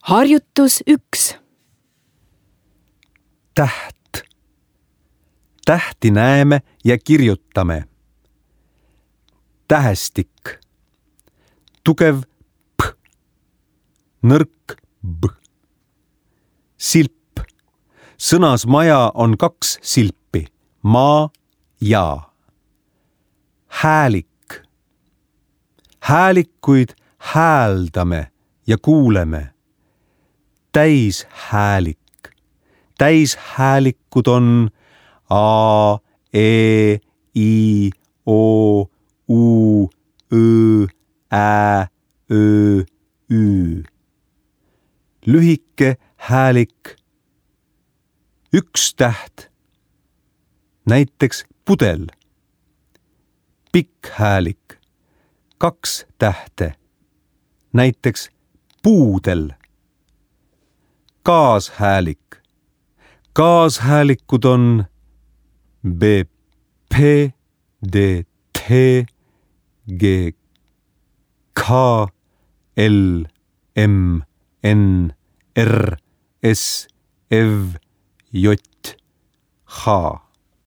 Harjutus 1. Täht. Tähti näeme ja kirjutame. Tähestik. Tugev p. Nõrk b. Silp. Sõnas maja on 2 silpi. Maa ja. Häälik. Häälikuid hääldame ja kuuleme. Täishäälik. Täishäälikud on a, e, i, o, u, ö, ä, ö, ü. Lühike häälik. 1 täht. Näiteks pudel. Pikk häälik. 2 tähte. Näiteks puudel. Kaashäälik. Kaashäälikud on b, p, d, t, g, k, l, m, n, r, s, ev, j, h.